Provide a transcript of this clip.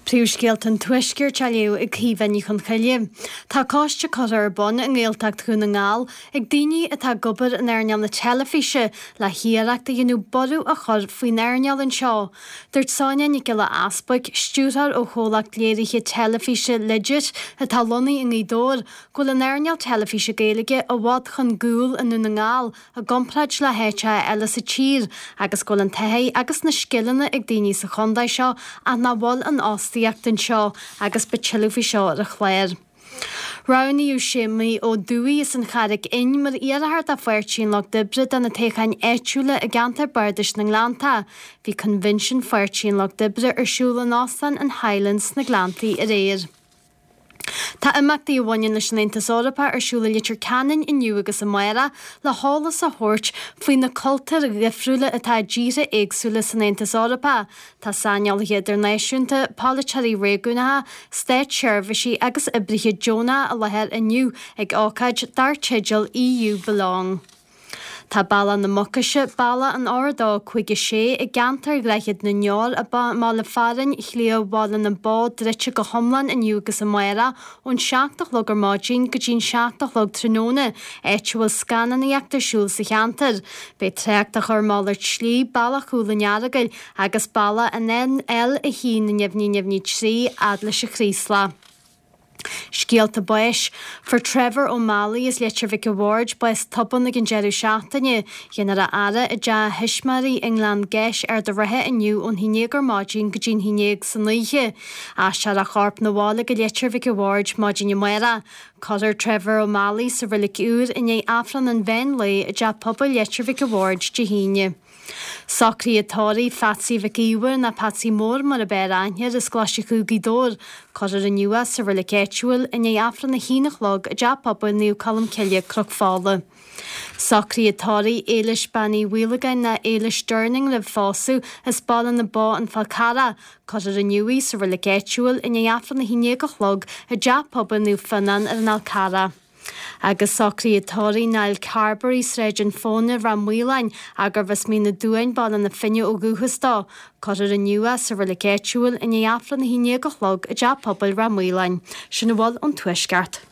Príomhscéalta an Tuaiscirt á léamh ag Caoimhe Ní Chonchoille. Tá coiste curtha ar bun i nGaeltacht Dhún na nGall ag daoine atá ag obair in earnáil na teilifíse le hiarracht a dhéanamh borradh a chur faoin earnáil anseo. Dúirt Sonia Nic Giolla Easbuic, stiúrthóir ó chomhlacht léirithe teilifíse Legit atá lonnaithe i nGaoth Dobhair, go bhfuil an earnáil teilifíse Gaeilge i bhfad chun gcúil i nDún na nGall i gcomparáid le háiteacha eile sa tír agus go bhfuil an taithí agus na scileanna ag daoine sa chontae seo ach nach bhfuil an fhostaíocht anseo agus beidh tuilleadh faoi seo ar an chlár. Roghnaíodh Séamaí Ó Dubhthaigh as an Charraic Fhinn mar iarrthóir do Pháirtí an Lucht Oibre do na toghcháin áitiúla i gceantar Bardais na nGleannta. Bhí coinbhinsiún Pháirtí an Lucht Oibre ar siúl in Óstán an Highlands sna Gleanntaí aréir. Tá imeachtaí a bhaineann leis an Aontas Eorpach ar siúl i Leitir Ceanainn inniu agus amárach le heolas a thabhairt faoi na cultúir dhifriúla atá i dtíortha éagsúla san Aontas Eorpach. Tá saineolaithe idirnáisiúnta, polaiteoirí réigiúnacha, státseirbhísigh agus oibrithe deonacha i láthair inniu ag ócáid dar teideal EU Belong. Tá Bealach na Mucaise, Bealach an R2 56 i gceantar Dhroichead na nDeor i mbaile fearainn Shliabh Bhaile na Bó druidte go hiomlán inniu agus amárach ón 7 a chlog ar maidin go dtí'n 7 a chlog tráthnóna, áit a bhfuil scannánaíocht ar siúl sa cheantar. Beidh trácht á chur malairt slí, Bealach Chúil an Earagail agus Bealach an L1 neamhní neamhní 3 fhad leis an Chraoslach. Scéalta báis. Fuair Trevor Ó Meallaigh as Leitir Mhic a' Bhaird bás tobann ag an deireadh seachtaine. Déanfar a fhaire i dteach a thuismitheoirí i nGleann Gais, Ard a' Rátha inniu ón haon dhéag ar maidin go dtí'n haon dhéag san oíche. Aistreofar a chorp 'na bhaile go Leitir Mhic a' Bhaird maidin amárach. Cuirfear Trevor Ó Meallaigh sa Reilig Úr i ndiaidh Aifreann an mheán lae i dTeach Pobail Leitir Mhic a' Bhaird Dé hAoine. Socruithe tórraimh Pheatsaí Mhic Íomhair nó Peatsaí Mór mar ab fhearr aithne air as Coláiste Chú Gaoth Dobhair. Cuirfear inniu é sa reilig áitiúil i ndiaidh Aifreann a haon a chlog i dTeach Pobail Naomh Colm Cille, Cnoc Fola. Socruithe tórraimh Éilis Bean Uí Mhaolagáin nó Éilis Durning roimh phósadh as Baile na Bó An Fál Carrach. Cuirfear inniu í sa reilig áitiúil i ndiaidh Aifreann a haon déag a chlog i dTeach Pobail Naomh Fionnán ar an Fhál Carrach. Agus socruithe tórraimh Niall Carberry, Sráid an Phóna, Ráth Maoláin, ach gurbh as Mín na Duáin, Baile na Finne ó dhúchas dó. Cuirfear inniu é sa reilig áitiúil i ndiaidh Aifreann a haon déag a chlog i dTeach Pobail Ráth Maoláin. Sin a bhfuil ón Tuaisceart.